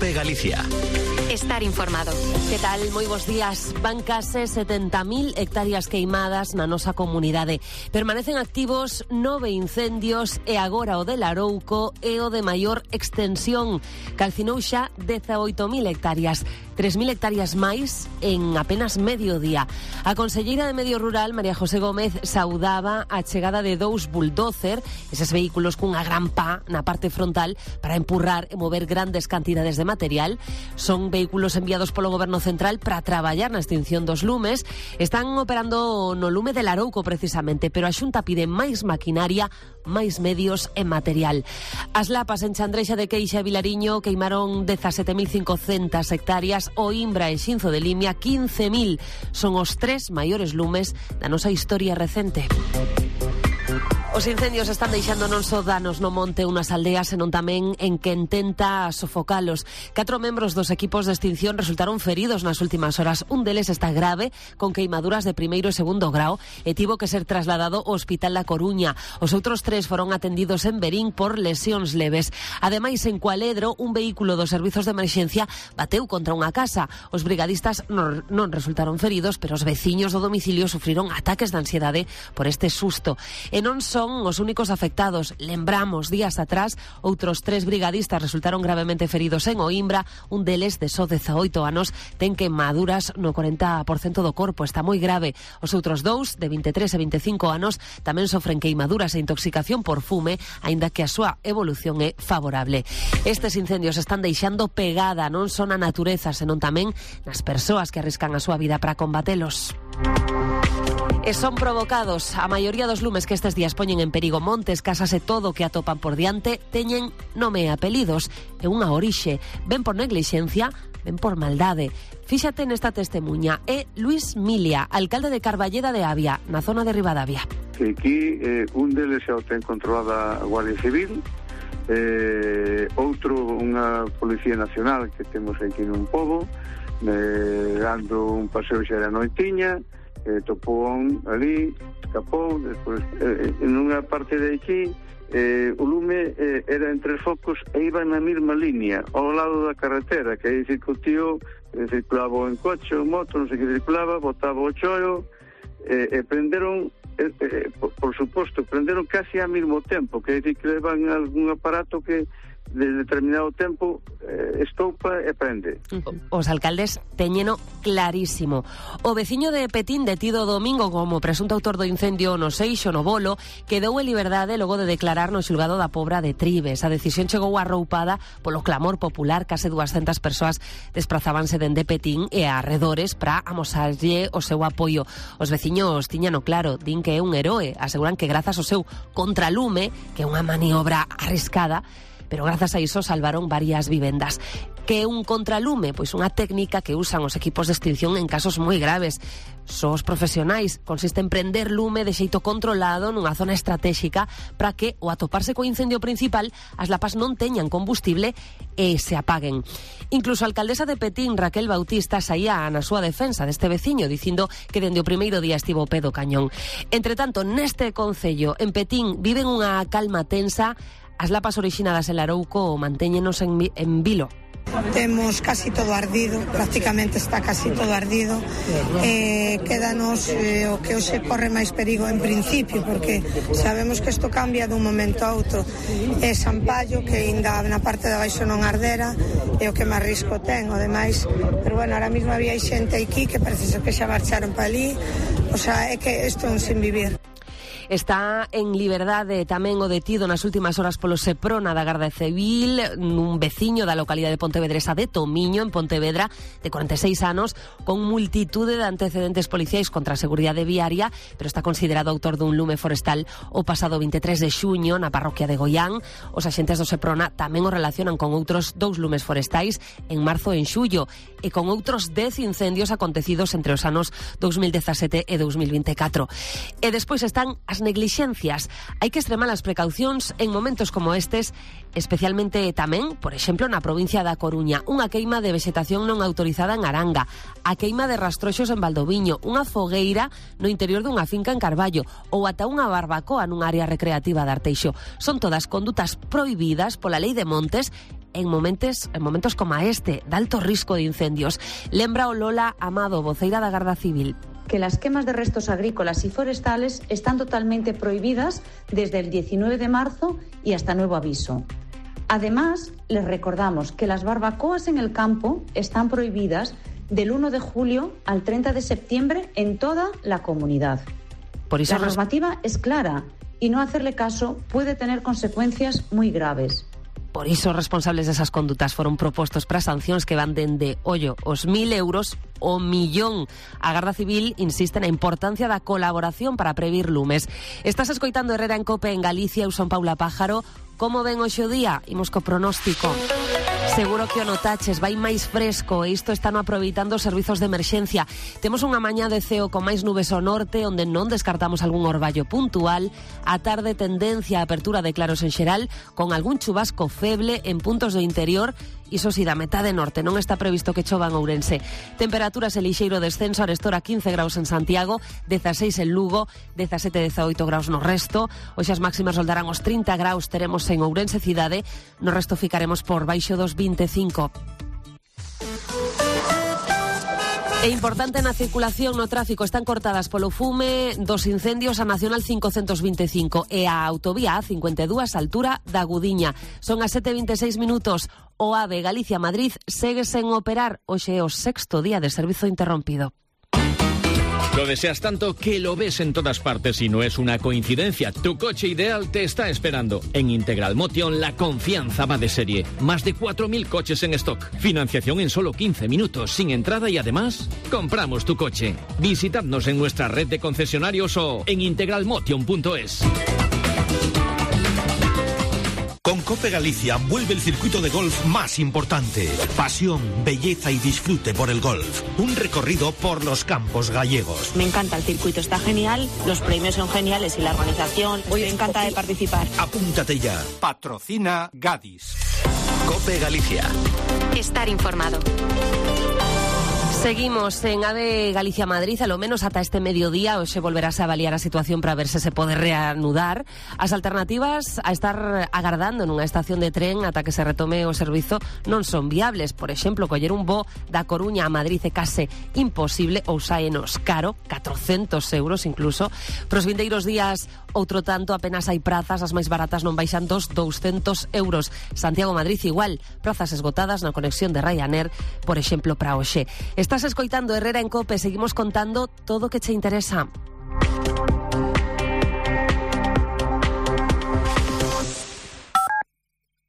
COPE Galicia. Estar informado. Que tal? Moi bons días. Van case 70.000 hectáreas queimadas na nosa comunidade. Permanecen activos 9 incendios e agora o de Larouco é o de maior extensión. Calcinou xa 18.000 hectáreas. 3.000 hectáreas máis en apenas medio día. A conselleira de Medio Rural, María José Gómez, saudaba a chegada de 2 bulldozer, eses vehículos cunha gran pá na parte frontal para empurrar e mover grandes cantidades de material. Son vehículos enviados polo Goberno Central para traballar na extinción dos lumes. Están operando no lume de Larouco precisamente, pero a Xunta pide máis maquinaria, máis medios e material. As lapas en Chandrexa de Queixa e Vilariño queimaron 17.500 hectáreas, o Imbra e Xinzo de Limia 15.000. Son os 3 maiores lumes da nosa historia recente. Os incendios están deixando non só danos no monte unhas aldeas, senón tamén en que intenta sofocalos. 4 membros dos equipos de extinción resultaron feridos nas últimas horas. Un deles está grave, con queimaduras de primeiro e segundo grao, e tivo que ser trasladado ao Hospital da Coruña. Os outros 3 foron atendidos en Verín por lesións leves. Ademais, en Cualedro, un vehículo dos servizos de emerxencia bateu contra unha casa. Os brigadistas non resultaron feridos, pero os veciños do domicilio sufriron ataques de ansiedade por este susto. E non son os únicos afectados. Lembramos, días atrás, outros 3 brigadistas resultaron gravemente feridos en Oimbra. Un deles, de só 18 anos, ten queimaduras no 40% do corpo. Está moi grave. Os outros 2, de 23 e 25 anos, tamén sofren queimaduras e intoxicación por fume, aínda que a súa evolución é favorable. Estes incendios están deixando pegada non só na natureza, senón tamén nas persoas que arriscan a súa vida para combatelos. E son provocados. A maioría dos lumes que estes días poñen en perigo montes, casas e todo o que atopan por diante teñen nome e apelidos e unha orixe. Ben por neglixencia, ben por maldade. Fíxate nesta testemuña. É Luis Milia, alcalde de Carballeda de Avia, na zona de Ribadavia. Aquí un deles xa o ten controlada a Guardia Civil, outro unha Policía Nacional que temos aquí nun pobo, dando un paseo xa da noitiña, topou ali, escapou, despois en unha parte de aquí o lume era entre focos e iba na mesma línea ao lado da carretera, que aí dicir que o tío circulaba en coche, en moto, non sei que circulaba, botaba o chollo e prenderon por suposto, prenderon casi ao mesmo tempo, que dicir que levan algún aparato que de determinado tempo estoupa e prende. Os alcaldes teñeno clarísimo. O veciño de Petín, detido domingo como presunto autor do incendio no Seixo, no Bolo, quedou en liberdade logo de declarar no xulgado da Pobra de Tribes. A decisión chegou arroupada polo clamor popular. Case 200 persoas desprazábanse dende Petín e arredores para amosarlle o seu apoio. Os veciños tiñano claro, din que é un heroe. Aseguran que grazas ao seu contralume, que é unha maniobra arriscada, pero grazas a iso salvaron varias vivendas. Que é un contralume? Pois unha técnica que usan os equipos de extinción en casos moi graves. Só os profesionais. Consiste en prender lume de xeito controlado nunha zona estratégica para que, ao atoparse co incendio principal, as lapas non teñan combustible e se apaguen. Incluso a alcaldesa de Petín, Raquel Bautista, saía na súa defensa deste veciño, dicindo que dende o primeiro día estivo ao pé do cañón. Entre tanto, neste concello, en Petín, viven unha calma tensa. As lapas orixinadas en Larouco mantéñenos en vilo. Temos casi todo ardido, prácticamente está casi todo ardido. Quédanos o que hoxe corre máis perigo en principio, porque sabemos que isto cambia dun momento a outro. É Sampallo, que ainda na parte de baixo non ardera, é o que máis risco ten, o demais. Pero bueno, ahora mesmo había xente aquí que parece que xa marcharon para ali. O sea, é que isto é un sin vivir. Está en liberdade tamén o detido nas últimas horas polo Seprona da Garda Civil, un veciño da localidade pontevedresa de Tomiño, en Pontevedra, de 46 anos, con multitude de antecedentes policiais contra a seguridade viaria, pero está considerado autor dun lume forestal o pasado 23 de xuño na parroquia de Goián. Os axentes do Seprona tamén o relacionan con outros 2 lumes forestais en marzo e en xullo, e con outros 10 incendios acontecidos entre os anos 2017 e 2024. E despois están as neglixencias. Hai que extremar as precaucións en momentos como estes, especialmente tamén, por exemplo, na provincia da Coruña, unha queima de vexetación non autorizada en Aranga, a queima de rastroxos en Valdoviño, unha fogueira no interior dunha finca en Carballo ou ata unha barbacoa nun área recreativa de Arteixo. Son todas condutas prohibidas pola lei de montes en momentos como este, de alto risco de incendios. Lembra o Lola Amado, voceira da Garda Civil. Que las quemas de restos agrícolas y forestales están totalmente prohibidas desde el 19 de marzo y hasta nuevo aviso. Además, les recordamos que las barbacoas en el campo están prohibidas del 1 de julio al 30 de septiembre en toda la comunidad. Por eso la normativa es clara y no hacerle caso puede tener consecuencias muy graves. Por iso, os responsables desas condutas foron propostos para sancións que van dende, os 1.000 euros o millón. A Garda Civil insiste na importancia da colaboración para previr lumes. Estás escoitando Herrera en Cope en Galicia, eu son Paula Pájaro. Como ven hoxe o día? Imos co pronóstico. Seguro que o notaches, vai máis fresco e isto están aproveitando os servizos de emerxencia. Temos unha mañá de ceo con máis nubes ao norte, onde non descartamos algún orballo puntual. A tarde tendencia a apertura de claros en xeral, con algún chubasco feble en puntos do interior. Iso si, da metade norte non está previsto que chova en Ourense. Temperaturas e lixeiro descenso, arestora 15 graus en Santiago, 16 en Lugo, 17-18 graus no resto. Hoxe as máximas roldarán os 30 graus, teremos en Ourense cidade, no resto ficaremos por baixo dos 25. É importante na circulación no tráfico, están cortadas polo fume dos incendios a Nacional 525 e a autovía A52 altura da Gudiña. Son as 7:26 minutos. O AVE Galicia-Madrid segue sen operar. Hoxe é o 6º día de servizo interrompido. Lo deseas tanto que lo ves en todas partes y no es una coincidencia. Tu coche ideal te está esperando. En Integral Motion la confianza va de serie. Más de 4.000 coches en stock. Financiación en solo 15 minutos, sin entrada y además, compramos tu coche. Visitadnos en nuestra red de concesionarios o en integralmotion.es. Con Cope Galicia vuelve el circuito de golf más importante. Pasión, belleza y disfrute por el golf. Un recorrido por los campos gallegos. Me encanta el circuito, está genial, los premios son geniales y la organización. Estoy encantada de participar. Apúntate ya. Patrocina Gadis. Cope Galicia. Estar informado. Seguimos en AVE Galicia-Madrid, a lo menos ata este mediodía, hoxe volverase a avaliar a situación para ver se pode reanudar. As alternativas a estar agardando nunha estación de tren ata que se retome o servizo non son viables. Por exemplo, coller un voo da Coruña a Madrid é case imposible ou saenos caro, 400 euros incluso. Pros vindeiros días, outro tanto, apenas hai prazas, as máis baratas non baixan dos 200 euros. Santiago-Madrid igual, prazas esgotadas na conexión de Ryanair, por exemplo, para hoxe. Estás escoitando Herrera en Cope, seguimos contando todo o que che interesa.